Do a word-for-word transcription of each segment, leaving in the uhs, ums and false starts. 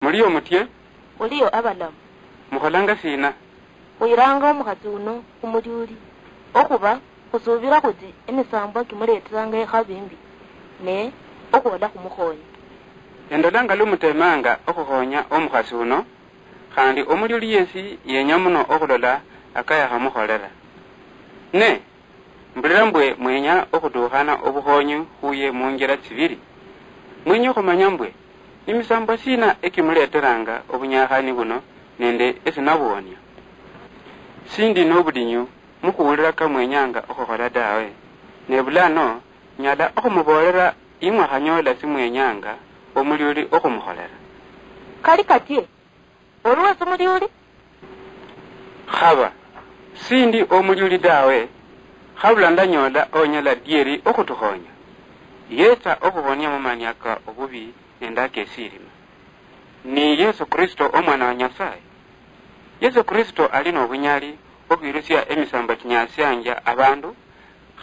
Muliyo mutye? Khuliyo abalamu. Mukholanga sina? Khuyiranga omukhasi uno khumulyuli, okhuba khusuubira khuti emisambwa kimuleeteranga ekhabi mbi, ne okhwola khumukhoonya. Endolanga lu mutemanga okhukhonya omukhasi uno, khandi omulyuli yesi yenya muno okhulola akayakhamukholera. Ne mbulira mbwe mwenya okhutukhana obukhonyi khuye munjira tsibili. Mwenya okhumanya mbwe nimisambwa sina ekimuleteranga obunyakhani buno nende esinabuwonia? Sindi nobudinyu mukhuwulira kamwenyanga okhukhola dawe, ne bulano nyala okhumuboolera imwakhanyola simwenyanga omulyuli okhumukholera. Kali katie, oli wesi mulyuli? Khaba sindi omulyuli dawe, khabula ndanyoola onyala dieri okhutukhonya. Yetsa okhuhonia mumania ka obubi nende akesirima. Ni Yesu Kristo, Omwana wa Nyasaye. Yesu Kristo ali nobunyali okhwirusia emisambo chinyasianja abandu,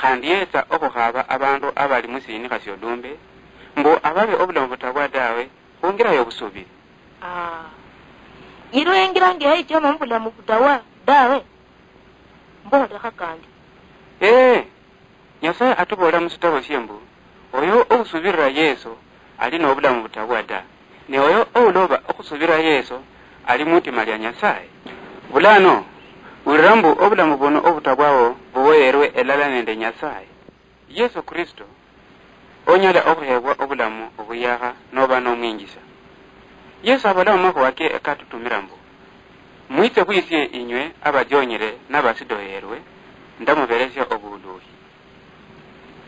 khandi yetsa okhukhaba abandu abali musiinikha siolumbe, mbu ababe obulamu butabwa dawe, khungira yobusubiri. Ah. Yilwa engira ngeha ichoma mubulamu butawa dawe. Mboolekha kandi. Ee, Nyasaye atuboolera musitabo sie mbu, oyo ousubirira Yesu ali nobulamu butabwa ta, ne oyo ouloba okhusubirira Yesu ali mwitima lia Nyasaye. Bulano, wulira mbu obulamu buno obutabwawo buboyerwe elala nende Nyasaye. Yesu Kristo onyala okhuhebwa obulamu obuyakha noba nomwinjisa. Yesu abola mumakhuwa ke katutumira mbu, mwitse khwisie inywe abajonyire nabasidoyerwe, ndamuberesia obuluhi.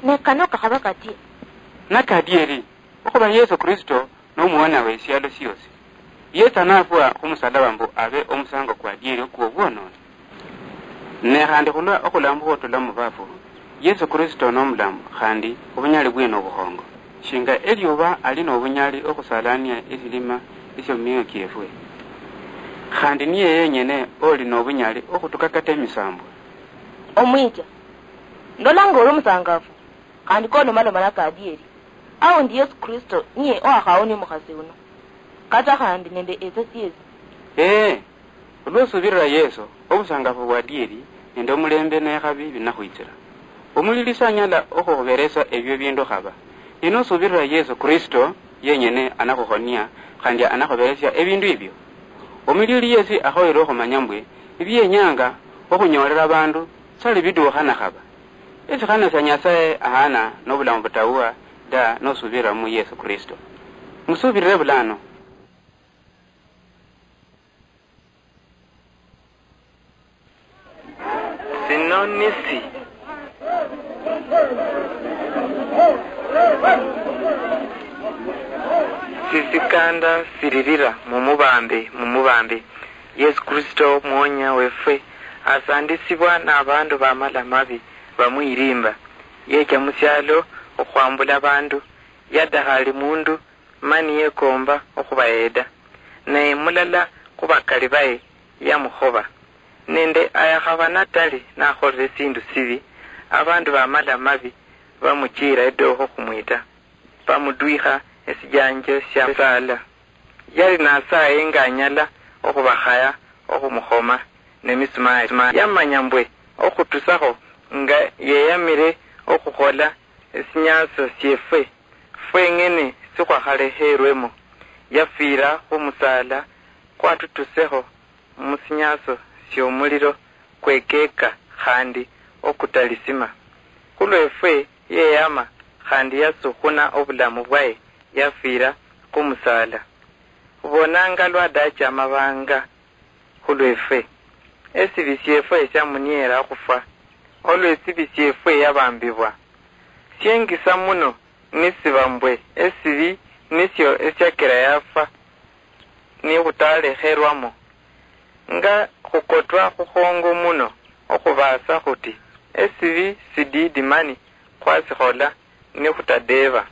Ne kano kakhaba katie? Nakadieri, okhuba Yesu Kristo nomuwona wesialo siosi. Yetsa nafwa khumusalaba mbu abe omusango kwadieri kwobwononi. Ne khandi khulwa okhulambukha otula mubafu, Yesu Kristo nomulamu khandi obunyali bwe nobukhongo. Shinga eliuba ali nobunyali okhusalania esilima esio mumioyo kiefwe, khandi niye yenyene oli nobunyali okhutuka kata emisambwa. Omwicha, ndolanga oli omusangafu, khandi kolomaloma nakadieri, aundi Yesu Kristo niye owakhawonia omukhasi uno, kata khandi nende ese siesi. Ee, olwosubirira Yesu, obusangafu bwadieri nende omulembe nekhabi binakhwitsira. Omulili sanyala okhuhuberesa ebio bindu khaba. Ne nosubirira Yesu Kristo yenyene anakhuhonia khandi anakhuberesia ebindu ebio. Omulili yesi akhoyere okhumanya mbwe ebienyanga okhunyoolera abandu sali biduukhana khaba. Esikhano sia Nyasaye ahana nobulamu butawuha da nosubirira mu Yesu Kristo. Musubirire bulano. Sino nisi sisikanda siririra mumubambi, mumubambi Yesu Kristo Muwonya wefwe, asandisibwa nabandu bamala mabi bamwirimba. Yecha musialo okhwambula bandu, yadakhali mundu mani yekomba okhubaheeda. Naye mulala khubakali baye yamukhoba. Nende ayakhaba natali nakholire esindu sibi, abandu bamala mabi bamuchiira edookho khumwita, bamudwikha esijanjo sia saala. Yali nasaye nga anyala okhubakhaya okhumukhoma nemisumari. Yamanya mbwe okhutusakho nga yeyamire okhukhola esinyasio siefwe fweng'ene sikhwakhalekhelwemo, yafwira khumusaala kwatutusekho musinyasio siomuliro kwekeka khandi okutalisima. Khulwefwe yeyama khandi yasukhuna obulamu bwaye yafwira khumusaala. Khubonanga lwadacha amabanga khulwefwe. Esibi siefwe siamuniera okhufwa, olwesibi siefwe yabambibwa. Siengisa muno nisiba mbwe esibi nisio esiakira yafwa nikhutalekhelwamo. Nga khukotwa khukhongo muno okhubaasa khuti esibi sididi mani khwasikhola nikhutadeeba,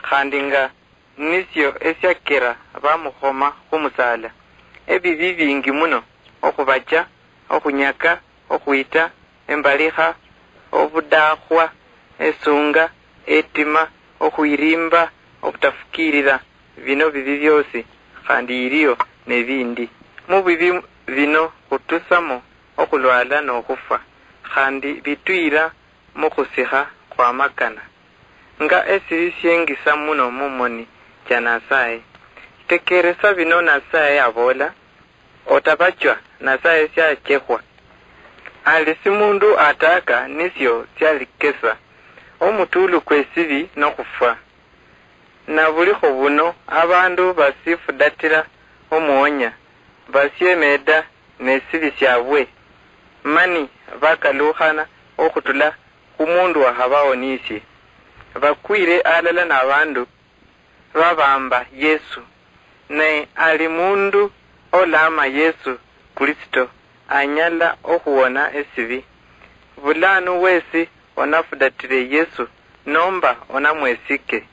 khandi nga nisio esiakira bamukhoma khumusaala. Ebibi bingi muno, okhubacha, okhunyaka, okhwita, embalikha, obudakhwa, esunga, etima, okhwirimba, obutafukiirira, bino bibi bioosi khandi yiliyo nebindi. Mubibi bino khutusamo okhulwala nokhufwa, khandi bituyira mukhusikha khwamakana, nga esibi siengisa muno mumoni cha Nasaye. Tekeresa bino Nasaye abola, otabachwa Nasaye siachekhwa. Ali simundu ataka nisio sialikesa, omutulu kwesibi nokhufwa. Nabulikho buno, abandu basifudatira omuonya, basiemeda nesibi siabwe, mani bakalukhana okhutula khumundu wakhabaonisie. Bakwire alala nabandu babamba Yesu, ne ali mundu olama Yesu Kristo anyala okhuwona esibi. Bulanu wesi onafudatire Yesu nomba onamwesike.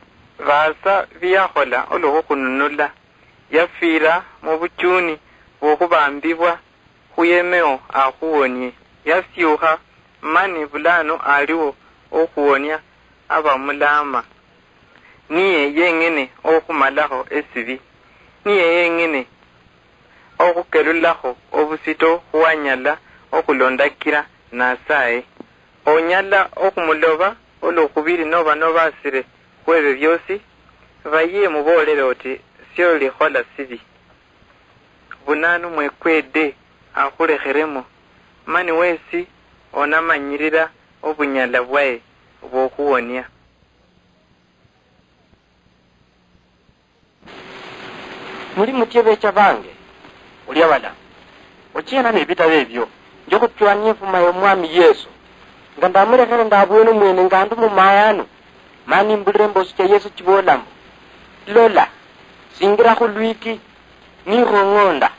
Baasa biyakhola olwokhukhununula, yafira mubuchuni bwokhubambibwa khuyemeo akhuwonie. Yasiukha mani bulanu aliwo okhuwonia abamulama. Niye yeng'ene okhumalakho esibi. Niye yeng'ene okhukelulakho obusito khuwanyala okhulondakira Nasaye. Onyala okhumuloba olwokhubiri noba nobasire khwebyo biosi, baye muboolere oti, siolikhola sibi. Bunanu mwekwede akhulekheremo, mani wesi onamanyirira obunyala bwaye bwokhuwonia. Muli mutye becha bange? Olia bala, ochiena nebitabo ebio, nje khuchwania efuma ya Omwami Yesu, nga ndamulekhere ndabwene omwene nga ndi mumayanu, mani mbulire emboosi cha Yesu chibola mbu, lola, singira khulwiki, nikhong'onda.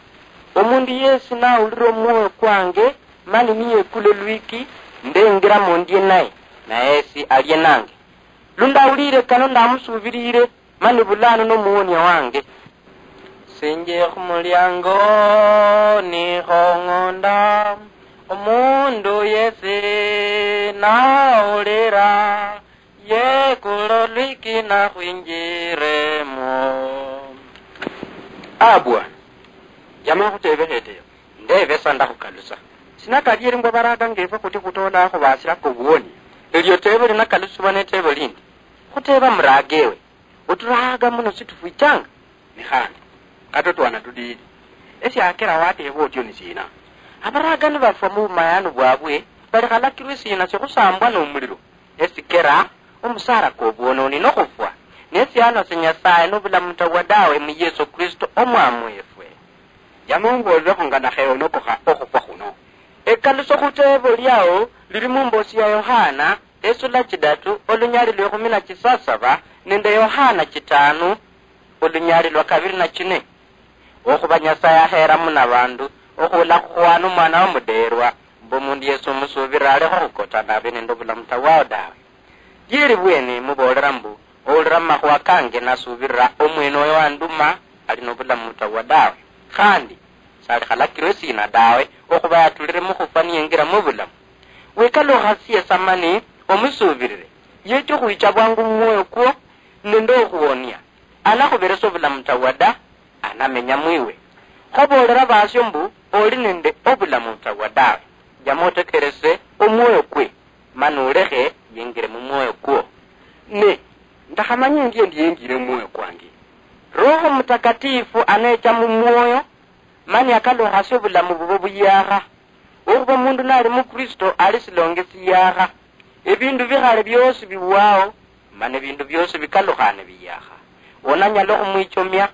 Omundu yesi nawulira omwoyo kwange, mani niyekula elwiki, ndengiramo ndie naye, naye yesi alie nange. Lundawulire kano ndamusuubirire, mani bulano nomuwonia wange. Sinje khumuliango nikhong'onda, omundu yesi nawulira, yekula olwiki nakhwinjiremo. Abwa, yama khutebekha eteyo, ndebesa ndakhukalusa. Sinakali eri mbo baraga ngefwe khuti khutola khubasira kobuwoni, elio teebo linakalusibwa neteebo lindi. Khuteba muraga ewe. Oturahaga muno situfwichanga? Ni khandi, kata otwana tudiidi. Esiakera wateeba otyo ni sina? Abaraga nibafwa mu bumayanu bwabwe, balikhalakirwe sina sikhusambwa nomuliro? Esikera omusara kwobwononi nokhufwa, ne siano sia Nyasaye nobulamu tawa dawe mu Yesu Kristo Omwami wefwe. Yama ombolelekho nga nakheonokokha okhufwa khuno. Ekaluso khuteebo liao lili mumbosi ya Yohana, esula chidatu, olunyali lwekhumi na chisasaba, nende Yohana chitanu, olunyali lwa kabiri na chine. Okhuba Nyasaye akhera muno abandu, okhula khukhwana omwana wamuderwa, mbu omundu yesi omusubirira alekhe okhukotana abe nende obulamu tawao dawe. Lieri bwene mubolera mbu, owulira mumakhuwa kange nasubirira omwene oyo wanduma, ali nobulamu tawao dawe. Khandi, salikhalakirwe sina dawe, okhuba yatulire mukhufwa niyengira mubulamu. Wikalukhasie sa mani omusubirire, yecha okhwicha bwangu mumwoyo kwo nende okhuwonia. Alakhuberesa obulamu tawa da, anamenya mwiwe. Khobolera basio mbu, oli nende obulamu tawa dawe. Jama otekerese omwoyo kwe, mani olekhe yengire mumwoyo kwo. Ne, ndakhamanya endie ndiyengire mumwoyo kwange. Roho Mutakatifu anecha mumwoyo, mani akalukhasia obulamu bubo buyakha. Okhuba omundu nali mu Kristo ali silonge siyakha. Ebindu bikhale biosi biwao, mana ebindu biosi bikalukhane biyakha. Onanyala okhumwichomia,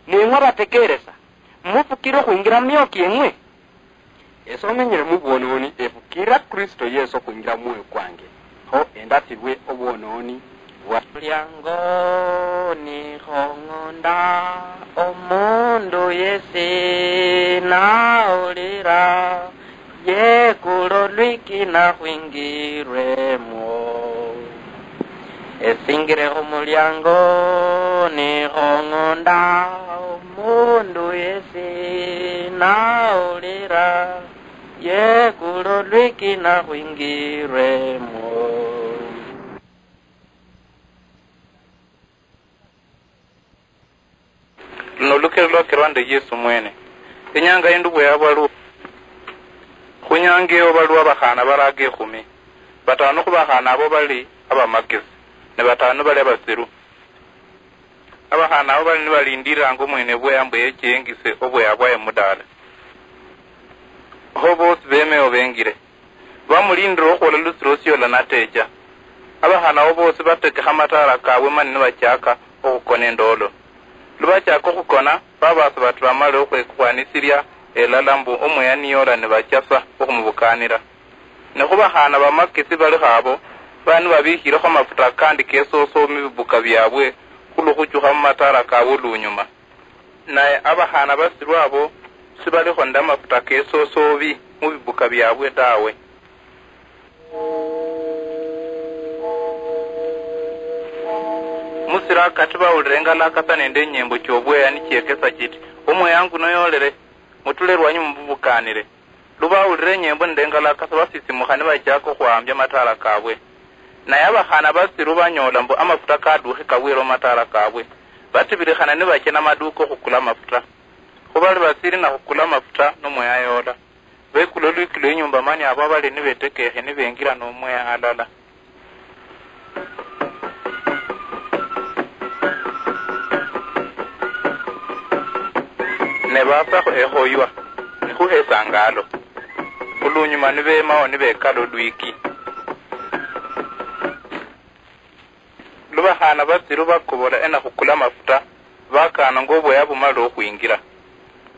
neng'we abatekeresa, mufukire okhwingira mumioyo kieng'we? Ese omenyere mubwononi, efukira Kristo Yesu okhwingira mumwoyo kwange. Kho endasibwe obwononi bwa. Mulyango nikhong'onda, omundu yesi nawulira, yekula olwiki nakhwingirwemwo. Esingire khumulyango nikhong'onda, omundu yesi nawulira, yekula olwiki nakhwingirwemwo. Luno lukeri lwakerwa nde Yesu mwene. Enyanga yindi bweyabwa lwo, khunyanga eyo baliwo abakhaana baraga ekhumi. Bataanu khubakhaana abo bali abamakesi, ne bataanu bali abasiru. Abakhaana abo bali nibalindiriranga omwene bweya mbu yeche yengise obweya bwaye mudaala. Kho boosi bemeyo bengire. Bamulindire okhwola lusirosi yola natecha. Abakhaana abo boosi batekekha amataala kabwe mani nibachaka okhukona endoolo. Lubachaka okhukona, babaasa bati bamale okhwekwanisilya elala mbu omweya niyola nibachasa okhumubukaanira. Ne khubakhaana bamakesi balikho abo, bali nibabiikhilekho amafuta akandi kesoso mu bibuka byabwe khulwo khuchukha mu mataala kabwe lunyuma. Nae abakhaana basiru abo sibalikho nende amafuta kesosobi mu bibuka byabwe tawe. Musiro akati bawulira engalakasa nende enyembo kyobweya nikyekesa kiti, "Omweya nguno yolere, mutule lwanyi mumubukaanire." Lubawulira enyembo nende engalakasa, basisimukha nibachaka okhwahambia amataala kabwe. Naye abakhaana basiru banyoola mbu amafuta kadukhe kabwere mumataala kabwe, batibirikhana nibacha namaduka okhukula amafuta. Kho bali basiri nakhukula amafuta, nomweya yoola. Bekula olwikilo inyumba mani abo abali nibetekekhe nibengira nomweya alala. Ne baasakho ekhoywa, ni khuhesangalo. Olunyuma nibemao nibekala olwiki. Lubakhaana batsiru bakobola enakhukula amafuta, bakaana ngobweya bumalire okhwingira.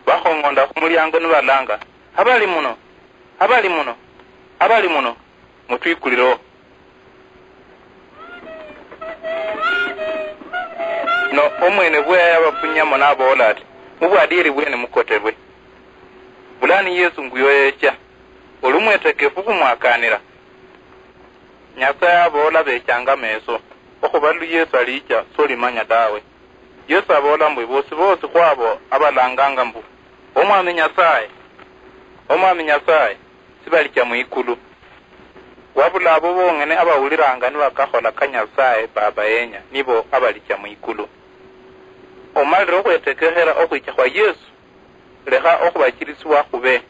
Bakhong'onda khumuliango nibalanga, "Abali muno! Abali muno! Abali muno! Mutwikulireho." No omwene bweya yabafunyamo naboola ati, "Mubwadieri bwene mukoterwe. Bulano Yesu nguyo yecha. Oli omwetekefu khumwakaanira?" Nyasaye aboola bechanga ameso, okhuba lu Yesu alicha, solimanya dawe. Yesu aboola mbwe, "Bosi bosi khwabo abalanganga mbu, 'Omwami Nyasaye, Omwami Nyasaye,' sibalicha mwikulu. Wabula abo bong'ene abawuliranga nibakakhola ka Nyasaye Baba yenya, nibo abalicha mwikulu." Omalire okhwetekekhera okhwicha khwa Yesu, lekha okhubachirisibwa khube.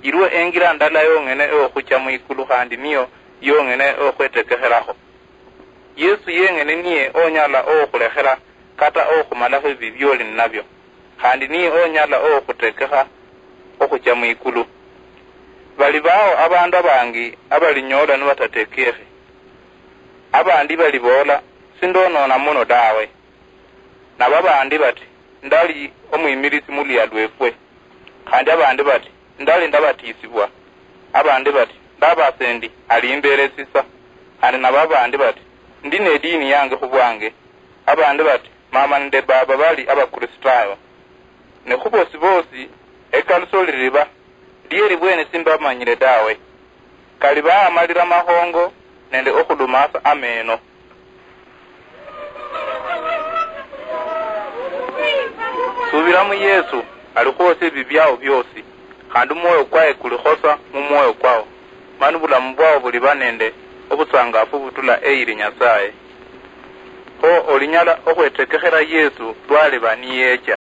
Iliwo engira ndala yong'ene eyokhucha mwikulu, khandi niyo yong'ene eyokhwetekekherakho. Yesu yeng'ene niye onyala okhulekhera kata okhumalakho ebibi bioli ninabio, khandi niye onyala okhutekekha okhucha mwikulu. Bali bao abandu abangi abalinyola nibatatekekhe. Abandi baliboola, "Sindonona muno dawe." Nabo abandi bati, "Ndali omwimilisi muluyia lwefwe." Khandi abandi bati, "Ndali ndabatisibwa." Abandi bati, "Ndabasa endi, ali imberi esisa." Khandi nabo abandi bati, "Ndi nedini yange khubwange." Abandi bati, "Mama nende baba bali Abakristayo." Ne khubosi bosi, ekaluso liriba, "Lieri bwene simbamanyire dawe." Kali baamalira amakhongo nende okhulumasa ameno. Subira mu Yesu, alikhwosia ebibi biao biosi, khandi omwoyo kwaye kulikhosa mu mwoyo kwao, mani obulamu bwao buliba nende obusangafu butula eyiri Nyasaye. Kho olinyala okhwetekekhera Yesu lwaliba niyecha.